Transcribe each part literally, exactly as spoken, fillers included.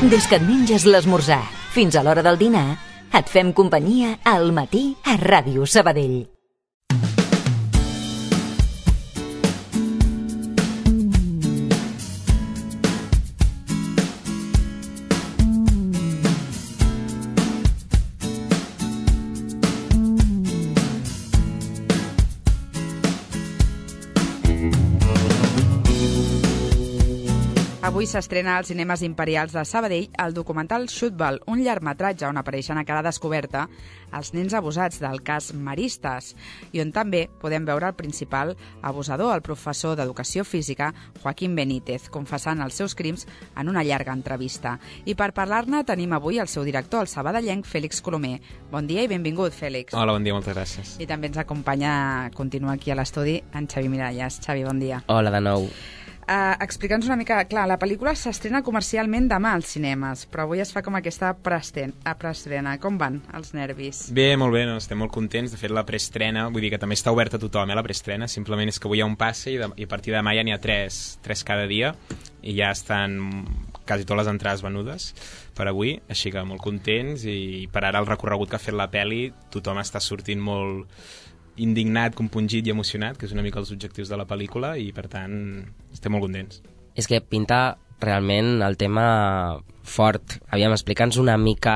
Des que et menges l'esmorzar fins a l'hora del dinar, et fem companyia al matí a Ràdio Sabadell. Avui s'estrena als cinemes imperials de Sabadell el documental Xutbal, un llargmetratge on apareixen a cara descoberta els nens abusats del cas Maristes i on també podem veure el principal abusador, el professor d'Educació Física, Joaquín Benítez, confessant els seus crims en una llarga entrevista. I per parlar-ne tenim avui el seu director, el sabadellenc Fèlix Colomer. Bon dia i benvingut, Fèlix. Hola, bon dia, moltes gràcies. I també ens acompanya, continua aquí a l'estudi, en Xavi Miralles. Xavi, bon dia. Hola de nou. Uh, Explica'ns una mica, clar, la pel·lícula s'estrena comercialment demà als cinemes, però avui es fa com aquesta preestrena. Com van els nervis? Bé, molt bé, no? Estem molt contents. De fet, la preestrena, vull dir que també està oberta a tothom, eh, la preestrena. Simplement és que avui hi ha un passe i, de, i a partir de demà ja n'hi ha tres, tres cada dia i ja estan quasi totes les entrades venudes per avui, així que molt contents i per ara el recorregut que ha fet la pel·li tothom està sortint molt indignat, compungit i emocionat, que és una mica els objectius de la pel·lícula i per tant estem molt contents. És que pinta realment el tema fort. Aviam, explica'ns una mica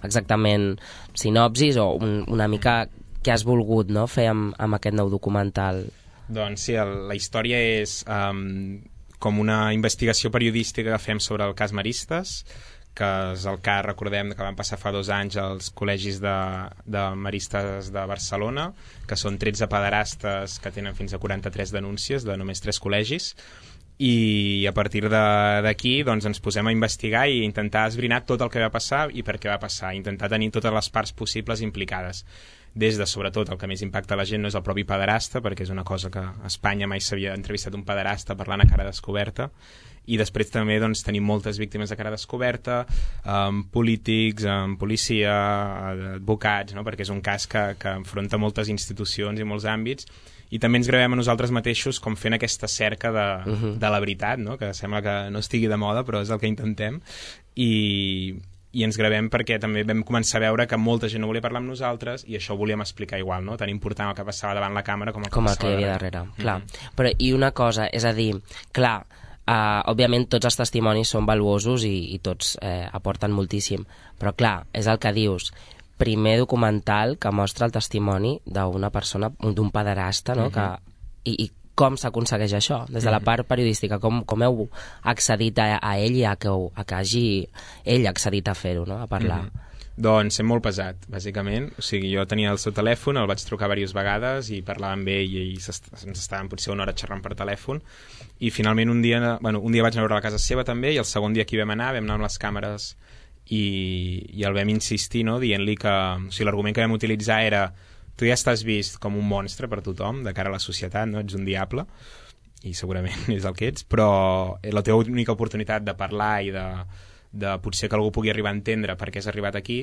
exactament sinopsis o un, una mica què has volgut, no, fer amb, amb aquest nou documental. Doncs sí, el, la història és um, com una investigació periodística que fem sobre el cas Maristes, que és el cas, recordem, que van passar fa dos anys als col·legis de, de maristes de Barcelona, que són tretze pederastes que tenen fins a quaranta-tres denúncies de només tres col·legis, i a partir d'aquí doncs, ens posem a investigar i intentar esbrinar tot el que va passar i per què va passar, intentar tenir totes les parts possibles implicades. Des de, sobretot, el que més impacta la gent no és el propi pederasta, perquè és una cosa que a Espanya mai s'havia entrevistat un pederasta parlant a cara descoberta, i després també doncs, tenim moltes víctimes a cara descoberta, um, polítics, um, policia, advocats, no? Perquè és un cas que, que enfronta moltes institucions i molts àmbits, i també ens gravem a nosaltres mateixos com fent aquesta cerca de, uh-huh. de la veritat, no? Que sembla que no estigui de moda, però és el que intentem, i... i ens gravem perquè també vam començar a veure que molta gent no volia parlar amb nosaltres i això ho volíem explicar igual, no? Tan important el que passava davant la càmera com el que com el passava que hi havia darrere, darrere. Clar. Mm-hmm. Però i una cosa, és a dir, clar, uh, òbviament tots els testimonis són valuosos i, i tots eh, aporten moltíssim, però clar, és el que dius, primer documental que mostra el testimoni d'una persona, d'un pederasta, no? Mm-hmm. que, i, i com s'aconsegueix això? Des de la part periodística, com, com heu accedit a, a ell i a que, a que hagi ell accedit a fer-ho, no? A parlar? Mm-hmm. Doncs és molt pesat, bàsicament. O sigui, jo tenia el seu telèfon, el vaig trucar diverses vegades i parlava amb ell i ens estàvem potser una hora xerrant per telèfon i finalment un dia, bueno, un dia vaig anar a veure la casa seva també i el segon dia que hi vam anar, vam anar amb les càmeres i, i el vam insistir, no? Dient-li que, o sigui, l'argument que vam utilitzar era tu ja estàs vist com un monstre per tothom, de cara a la societat, no? Ets un diable, i segurament és el que ets, però la teva única oportunitat de parlar i de, de potser que algú pugui arribar a entendre per què has arribat aquí,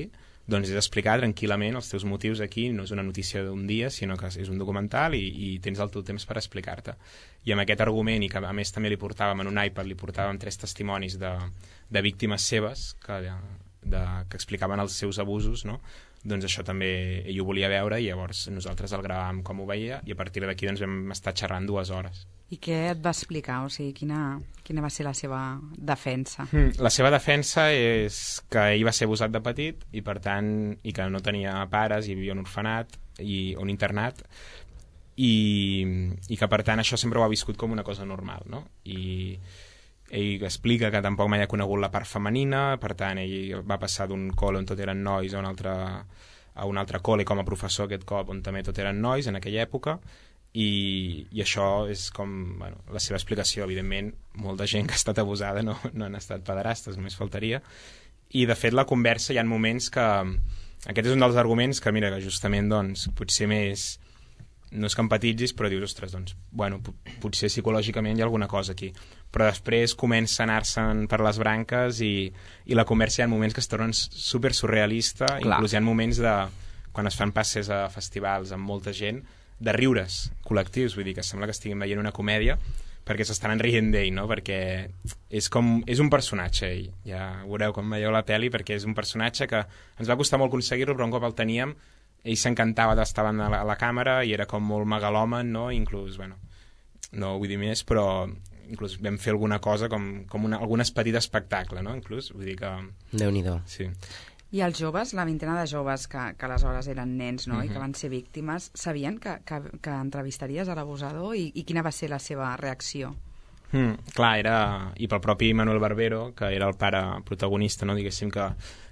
doncs és explicar tranquil·lament els teus motius aquí, no és una notícia d'un dia, sinó que és un documental i, i tens el teu temps per explicar-te. I amb aquest argument, i que a més també li portàvem en un iPad, li portàvem tres testimonis de, de víctimes seves que, de, que explicaven els seus abusos, no? Doncs això també ell ho volia veure i llavors nosaltres el gravàvem com ho veia i a partir d'aquí doncs vam estar xerrant dues hores. I què et va explicar? O sigui, quina, quina va ser la seva defensa? Mm, la seva defensa és que ell va ser abusat de petit i per tant i que no tenia pares i vivia en un orfenat i un internat i, i que per tant això sempre ho ha viscut com una cosa normal, no? I ell explica que tampoc mai ha conegut la part femenina, per tant ell va passar d'un col on tot eren nois a un altre, a un altre col·le com a professor aquest cop on també tot eren nois en aquella època i, i això és com bueno, la seva explicació. Evidentment molta gent que ha estat abusada no, no han estat pederastes, només faltaria, i de fet la conversa hi ha moments que aquest és un dels arguments que mira que justament doncs, potser més no és que empatitzis, però dius, ostres, doncs, bueno, potser psicològicament hi ha alguna cosa aquí. Però després comença a anar-se'n per les branques i, i la conversa hi ha moments que es tornen super surrealista, Clar. Inclús hi ha moments de, quan es fan passes a festivals amb molta gent, de riures col·lectius, vull dir que sembla que estiguin veient una comèdia, perquè s'estan rient d'ell, no? Perquè és, com, és un personatge, ell. Ja veureu com veieu la pel·li, perquè és un personatge que ens va costar molt aconseguir-lo, però un cop el teníem, ell s'encantava d'estar a la, a la càmera i era com molt megalòman, no? Inclús, bueno, no vull dir més, però inclús vam fer alguna cosa com, com una, algunes petit espectacle, no? Inclús, vull dir que... Déu-n'hi-do. Sí. I els joves, la vintena de joves que, que aleshores eren nens, no? Uh-huh. I que van ser víctimes, sabien que, que, que entrevistaries a l'abusador i, i quina va ser la seva reacció? Mm, clar, era... I pel propi Manuel Barbero, que era el pare protagonista, no? Diguéssim que,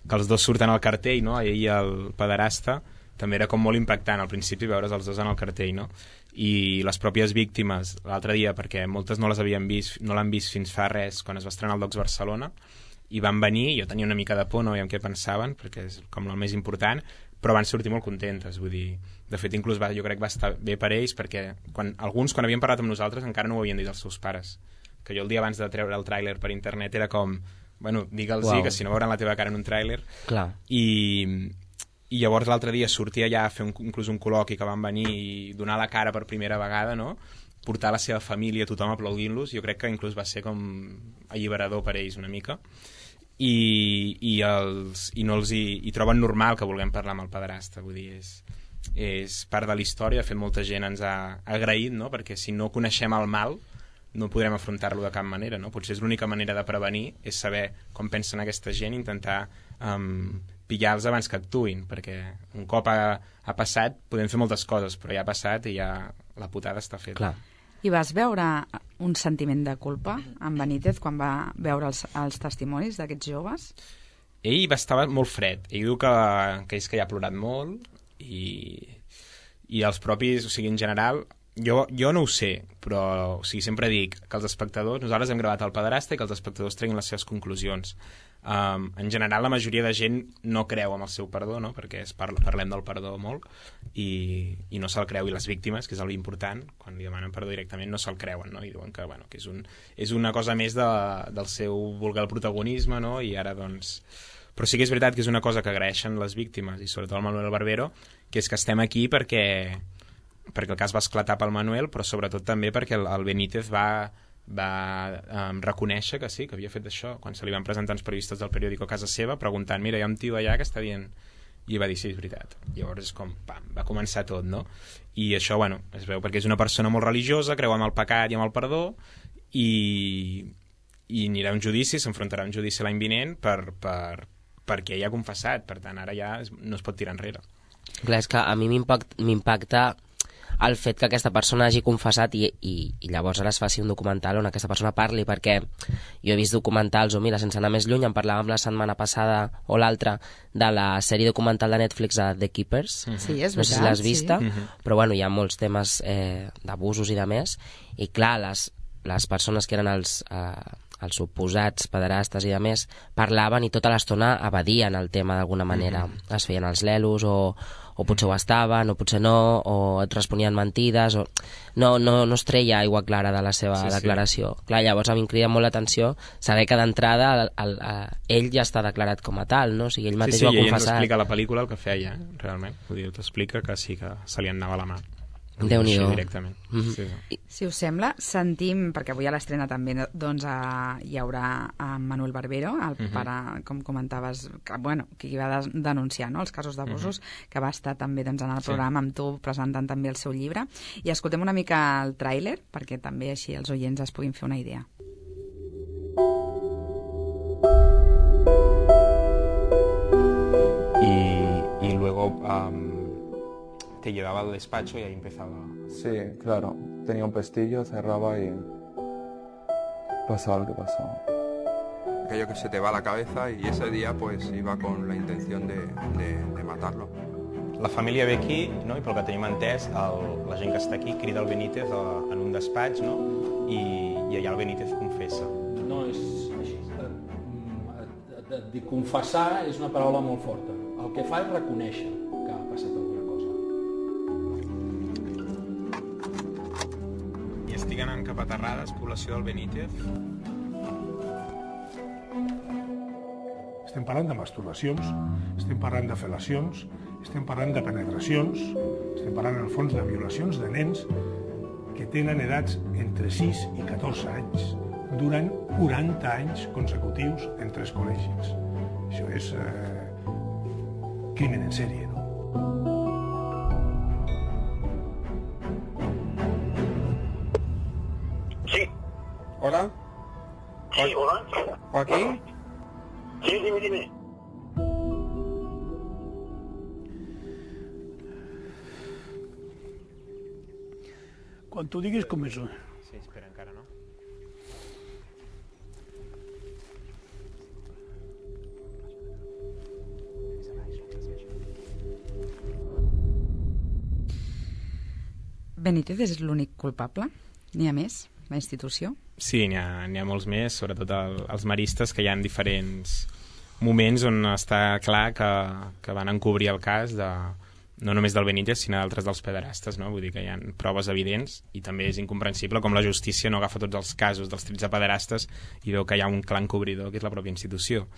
que els dos surten al cartell, no? Ell i el pederasta, també era com molt impactant al principi veure's els dos en el cartell, no? I les pròpies víctimes, l'altre dia, perquè moltes no les havien vist, no l'han vist fins fa res, quan es va estrenar el Docs Barcelona, i van venir, jo tenia una mica de por, no veiem què pensaven, perquè és com el més important, però van sortir molt contentes, vull dir, de fet inclús va, jo crec que va estar bé per ells, perquè quan, alguns quan havien parlat amb nosaltres encara no ho havien dit als seus pares, que jo el dia abans de treure el tràiler per internet era com, bueno, digue'ls-hi, que si no veuran la teva cara en un tràiler. Clar. I, i llavors l'altre dia sortia ja a fer un, inclús un col·loqui que van venir i donar la cara per primera vegada, no? Portar la seva família, tothom aplaudint-los, jo crec que inclús va ser com alliberador per ells una mica. I, i, els, i no els hi, i troben normal que vulguem parlar amb el pederasta, vull dir, és, és part de la història, de fet molta gent ens ha agraït, no? Perquè si no coneixem el mal no podrem afrontar-lo de cap manera, no? Potser és l'única manera de prevenir, és saber com pensen aquesta gent i intentar um, pillar-los abans que actuïn, perquè un cop ha, ha passat podem fer moltes coses, però ja ha passat i ja la putada està feta. Clar. I vas veure un sentiment de culpa en Benítez quan va veure els, els testimonis d'aquests joves? Ell va estar molt fred. Ell diu que, que és que ja ha plorat molt i, i els propis, o sigui, en general, jo, jo no ho sé, però o sigui, sempre dic que els espectadors, nosaltres hem gravat el pederasta i que els espectadors treguin les seves conclusions. Um, en general la majoria de gent no creu en el seu perdó, no? Perquè es parla, parlem del perdó molt i, i no se'l creu, i les víctimes, que és el important, quan li demanen perdó directament no se'l creuen, no? I diuen que, bueno, que és, un, és una cosa més de, del seu vulgar protagonisme, no? I ara doncs... Però sí que és veritat que és una cosa que agraeixen les víctimes i sobretot el Manuel Barbero, que és que estem aquí perquè, perquè el cas va esclatar pel Manuel, però sobretot també perquè el, el Benítez va va um, reconèixer que sí, que havia fet això quan se li van presentar els periodistes del periòdico a casa seva preguntant, mira, hi ha un tio allà que està dient, i va dir, sí, és veritat. Llavors és com, pam, va començar tot, no? I això, bueno, es veu perquè és una persona molt religiosa, creu en el pecat i en el perdó, i, i anirà a un judici, s'enfrontarà a un judici l'any vinent per, per, perquè ell ha confessat, per tant ara ja no es pot tirar enrere. Clar, és que a mi m'impacta el fet que aquesta persona hagi confessat i, i, i llavors ara es faci un documental on aquesta persona parli, perquè jo he vist documentals, o mira, sense anar més lluny, en parlàvem la setmana passada o l'altra de la sèrie documental de Netflix de The Keepers, sí, és no sé si l'has vista, sí. Però bueno, hi ha molts temes eh, d'abusos i de més, i clar, les, les persones que eren els, eh, els suposats pederastes i de més parlaven i tota l'estona evadien el tema d'alguna manera, mm-hmm. es feien els lelos o o potser ho estaven, o potser no, o et responien mentides, o... no, no, no es treia aigua clara de la seva sí, declaració. Sí. Clar, llavors a mi em crida molt l'atenció saber que d'entrada el, el, el, ell ja està declarat com a tal, no? O sigui, ell mateix sí, sí, ho ha confessat. Sí, sí, ell explica a la pel·lícula el que feia, realment. Vull dir, t'explica que sí que se li anava la mà. Déu-n'hi-do. Directament. Mm-hmm. sí, sí. Si us sembla, sentim, perquè avui a l'estrena també doncs, a, hi haurà a Manuel Barbero, el mm-hmm. pare, com comentaves, que, bueno, qui va de, denunciar no, els casos d'abusos, mm-hmm. que va estar també doncs, en el programa sí. amb tu presentant també el seu llibre. I escoltem una mica el tràiler, perquè també així els oients es puguin fer una idea. Y, y luego... Um... te llevaba al despacho y ahí empezaba. Sí, claro. Tenía un pestillo, cerraba y pasaba lo que pasaba. Aquello que se te va a la cabeza y ese día pues iba con la intención de, de, de matarlo. La família ve aquí, no? I pel que tenim entès, el, la gent que està aquí crida el Benítez a, en un despatx, no? I, i allà el Benítez confessa. No és així. De, de, de confessar és una paraula molt forta. El que fa és reconèixer que ha passat alguna cosa. I estic anant cap a Terrades, població del Benítez. Estem parlant de masturbacions, estem parlant de fel·lacions, estem parlant de penetracions, estem parlant, en el fons, de violacions de nens que tenen edats entre sis i catorze anys durant quaranta anys consecutius en tres col·legis. Això és eh, crimen en sèrie, no? Sí. Hola. Sí, hola. Joaquín. Sí, dime, dime. Quan tu diguis començo. Sí, espera, encara no. Benítez és l'únic culpable? N'hi ha més? La institució? Sí, n'hi ha, n'hi ha molts més, sobretot el, els maristes, que hi ha diferents moments on està clar que, que van encobrir el cas de, no només del Benítez, sinó d'altres dels pederastes, no? Vull dir que hi ha proves evidents i també és incomprensible com la justícia no agafa tots els casos dels tretze pederastes i veu que hi ha un clar encobridor, que és la pròpia institució.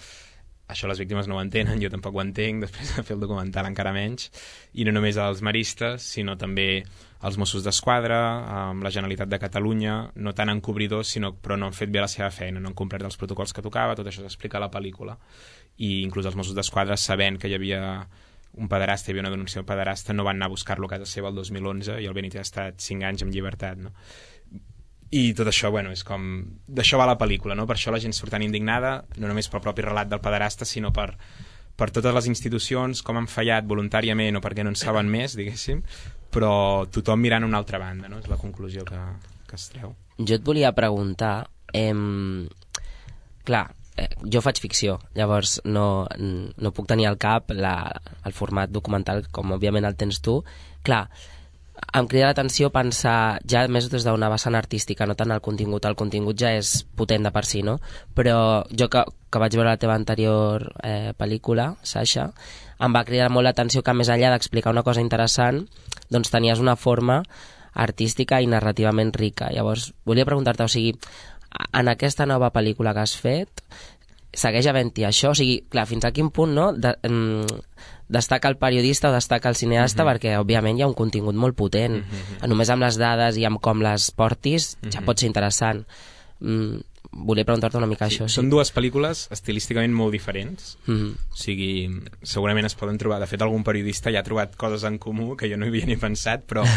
Això les víctimes no ho entenen, jo tampoc ho entenc, després de fer el documental encara menys, i no només els maristes, sinó també els Mossos d'Esquadra, amb la Generalitat de Catalunya, no tant encobridors, sinó, però no han fet bé la seva feina, no han complert els protocols que tocava, tot això s'explica a la pel·lícula. I inclús els Mossos d'Esquadra, sabent que hi havia un pederasta, hi havia una denúncia d'un pederasta, no van anar a buscar-lo a casa seva el dos mil onze i el Benítez ha estat cinc anys en llibertat, no? I tot això, bueno, és com... D'això va la pel·lícula, no? Per això la gent surt tan indignada, no només pel propi relat del pederasta, sinó per, per totes les institucions, com han fallat voluntàriament o perquè no en saben més, diguéssim, però tothom mirant a una altra banda, no? És la conclusió que, que es treu. Jo et volia preguntar... Eh, clar, eh, jo faig ficció, llavors no, no puc tenir al cap la, el format documental com òbviament el tens tu. Clar, em crida l'atenció pensar ja més des d'una vessant artística, no tant el contingut. El contingut ja és potent de per si, no? Però jo que, que vaig veure la teva anterior eh, pel·lícula, Sasha, em va cridar molt l'atenció que més enllà d'explicar una cosa interessant, doncs tenies una forma artística i narrativament rica. Llavors, volia preguntar-te, o sigui, en aquesta nova pel·lícula que has fet, segueix havent-hi això? O sigui, clar, fins a quin punt, no?, de, mm, destaca el periodista o destaca el cineasta, uh-huh. perquè òbviament hi ha un contingut molt potent. Uh-huh. Només amb les dades i amb com les portis uh-huh. ja pot ser interessant. Mm, volia preguntar-te una mica sí, això. Sí. Són dues pel·lícules estilísticament molt diferents. Uh-huh. O sigui, segurament es poden trobar... De fet, algun periodista ja ha trobat coses en comú que jo no hi havia ni pensat, però,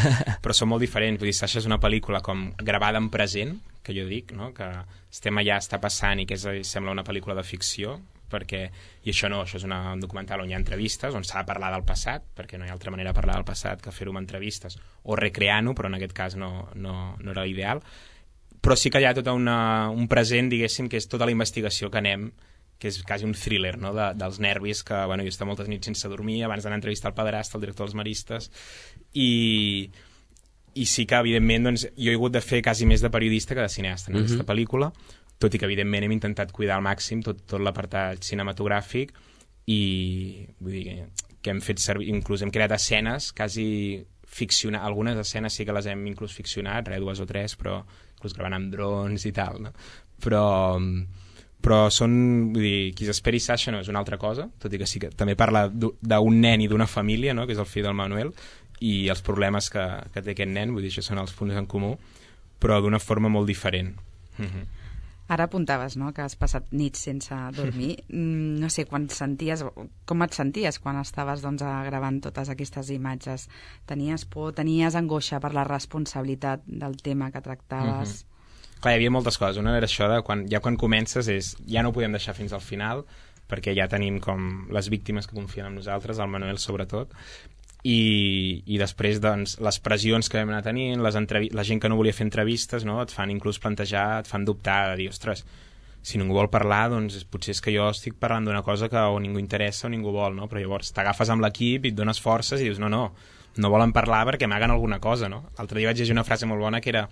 però són molt diferents. Vull dir, Sasha és una pel·lícula com gravada en present, que jo dic, no? Que estem allà, està passant i que és, sembla una pel·lícula de ficció, perquè, i això no, això és una, un documental on hi ha entrevistes, on s'ha de parlar del passat, perquè no hi ha altra manera de parlar del passat que fer-ho amb entrevistes, o recreant-ho, però en aquest cas no, no, no era l'ideal. Però sí que hi ha tot una, un present, diguéssim, que és tota la investigació que anem, que és quasi un thriller, no?, de, dels nervis, que, bueno, jo he estat moltes nits sense dormir, abans d'anar a entrevistar el pederasta, el director dels maristes, i... i sí que, evidentment, doncs, jo he hagut de fer quasi més de periodista que de cineasta en aquesta uh-huh. pel·lícula, tot i que, evidentment, hem intentat cuidar al màxim tot, tot l'apartat cinematogràfic i, vull dir, que hem fet servir, inclús hem creat escenes quasi ficcionar, algunes escenes sí que les hem inclús ficcionat, res, dues o tres, però inclús gravant amb drons i tal, no? Però, però són, vull dir, qui s'esperi Sasha no és una altra cosa, tot i que sí que també parla d'un nen i d'una família, no?, que és el fill del Manuel, i els problemes que, que té aquest nen, vull dir, això són els punts en comú, però d'una forma molt diferent. Uh-huh. Ara apuntaves, no?, que has passat nits sense dormir. Mm, no sé, quan senties, com et senties quan estaves doncs, gravant totes aquestes imatges? Tenies por, tenies angoixa per la responsabilitat del tema que tractaves? Uh-huh. Clar, hi havia moltes coses. Una era això de quan, ja quan comences és, ja no ho podem deixar fins al final, perquè ja tenim com les víctimes que confien en nosaltres, el Manuel sobretot, i, i després doncs, les pressions que vam anar tenint, les entrevi- la gent que no volia fer entrevistes, no? Et fan inclús plantejar, et fan dubtar, de dir, ostres, si ningú vol parlar, doncs potser és que jo estic parlant d'una cosa que o ningú interessa o ningú vol, no? Però llavors t'agafes amb l'equip i et dones forces i dius, no, no, no volen parlar perquè m'hagan alguna cosa, no? L'altre dia vaig llegir una frase molt bona que era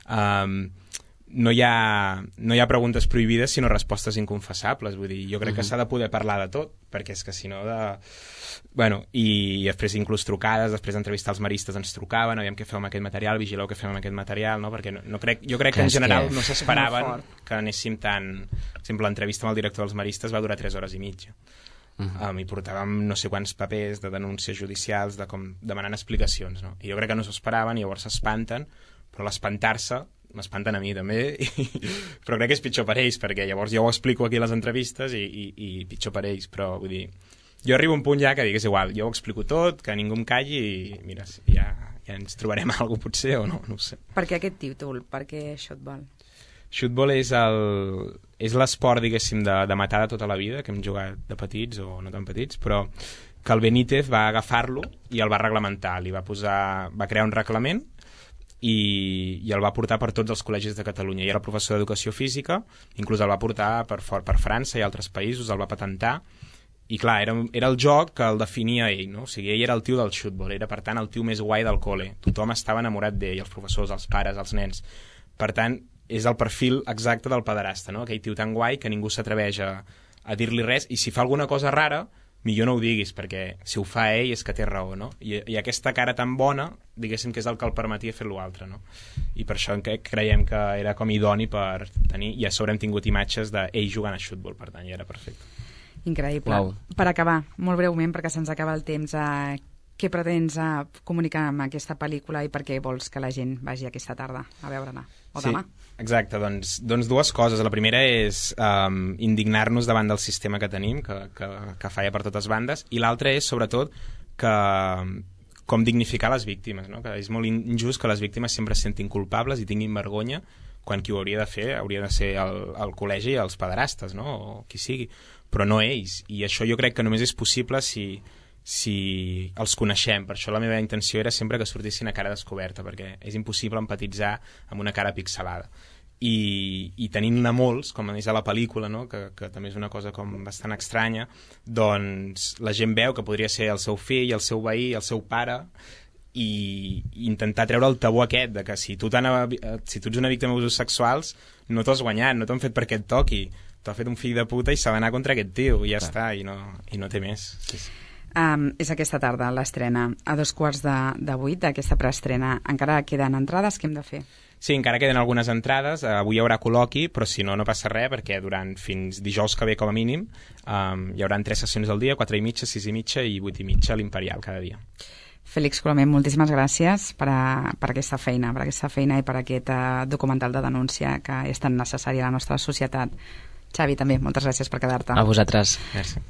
um, no hi ha, no hi ha preguntes prohibides sinó respostes inconfessables, vull dir, jo crec uh-huh. que s'ha de poder parlar de tot, perquè és que si no de... Bueno, i després inclús trucades, després d'entrevistar els maristes ens trucaven, aviam què feu amb aquest material, vigileu què fem amb aquest material, no? Perquè no, no crec, jo crec que en general que no s'esperaven que anéssim tan... Per exemple, l'entrevista amb el director dels maristes va durar tres hores i mitja. Uh-huh. Um, i portàvem no sé quants papers de denúncies judicials, de com demanant explicacions, no? I jo crec que no s'ho esperaven i llavors s'espanten, però l'espantar-se m'espanten a mi també, i, però crec que és pitjor per ells, perquè llavors jo ho explico aquí a les entrevistes i, i, i pitjor per ells, però vull dir, jo arribo a un punt ja que dic, és igual, jo ho explico tot, que ningú em calli i mira, ja, ja ens trobarem alguna cosa potser o no, no ho sé. Per què aquest títol? Per què Shootball? Shootball és el és l'esport, diguéssim, de, de matar de tota la vida, que hem jugat de petits o no tan petits, però que el Benítez va agafar-lo i el va reglamentar, li va posar, va crear un reglament i, i el va portar per tots els col·legis de Catalunya. I era professor d'educació física, inclús el va portar per, fort, per França i altres països, el va patentar, i clar, era, era el joc que el definia ell, no? O sigui, ell era el tio del shootball, era per tant el tio més guai del col·le, tothom estava enamorat d'ell, els professors, els pares, els nens. Per tant, és el perfil exacte del pederasta, no? Aquell tio tan guai que ningú s'atreveix a, a dir-li res, i si fa alguna cosa rara, millor no ho diguis, perquè si ho fa ell és que té raó, no? I, i aquesta cara tan bona, diguéssim que és el que el permetia fer l'altre, no? I per això creiem que era com idoni per tenir, i a sobre hem tingut imatges d'ell jugant a futbol, per tant, ja era perfecte. Increïble. Wow. Per acabar, molt breument, perquè se'ns acaba el temps, eh, què pretens eh, comunicar amb aquesta pel·lícula i per què vols que la gent vagi aquesta tarda a veure-la, o demà? Sí. Exacte, doncs, doncs dues coses. La primera és um, indignar-nos davant del sistema que tenim, que, que, que falla per totes bandes, i l'altra és, sobretot, que com dignificar les víctimes, no? Que és molt injust que les víctimes sempre es sentin culpables i tinguin vergonya, quan qui ho hauria de fer hauria de ser el, el col·legi, els pederastes, no? O qui sigui, però no ells. I això jo crec que només és possible si, si els coneixem. Per això la meva intenció era sempre que sortissin a cara descoberta, perquè és impossible empatitzar amb una cara pixelada. I, i tenint-ne molts, com és a la pel·lícula, no? que, que també és una cosa com bastant estranya, doncs la gent veu que podria ser el seu fill, el seu veí, el seu pare, i, i intentar treure el tabú aquest de que si tu, si tu ets una víctima d'abusos sexuals no t'has guanyat, no t'han fet perquè et toqui, t'ha fet un fill de puta i s'ha d'anar contra aquest tio, i ja Clar. Està, i no, i no té més. Sí, sí. Um, és aquesta tarda l'estrena a dos quarts de, de vuit d'aquesta preestrena. Encara queden entrades, què hem de fer? Sí, encara queden algunes entrades, uh, avui hi haurà col·loqui, però si no, no passa res, perquè durant fins dijous que ve com a mínim um, hi haurà tres sessions al dia, quatre i mitja, sis i mitja i vuit i mitja a l'Imperial cada dia. Félix Colomer, moltíssimes gràcies per, a, per aquesta feina, per aquesta feina i per aquest uh, documental de denúncia que és tan necessari a la nostra societat. Xavi, també, moltes gràcies per quedar-te. A vosaltres. Merci.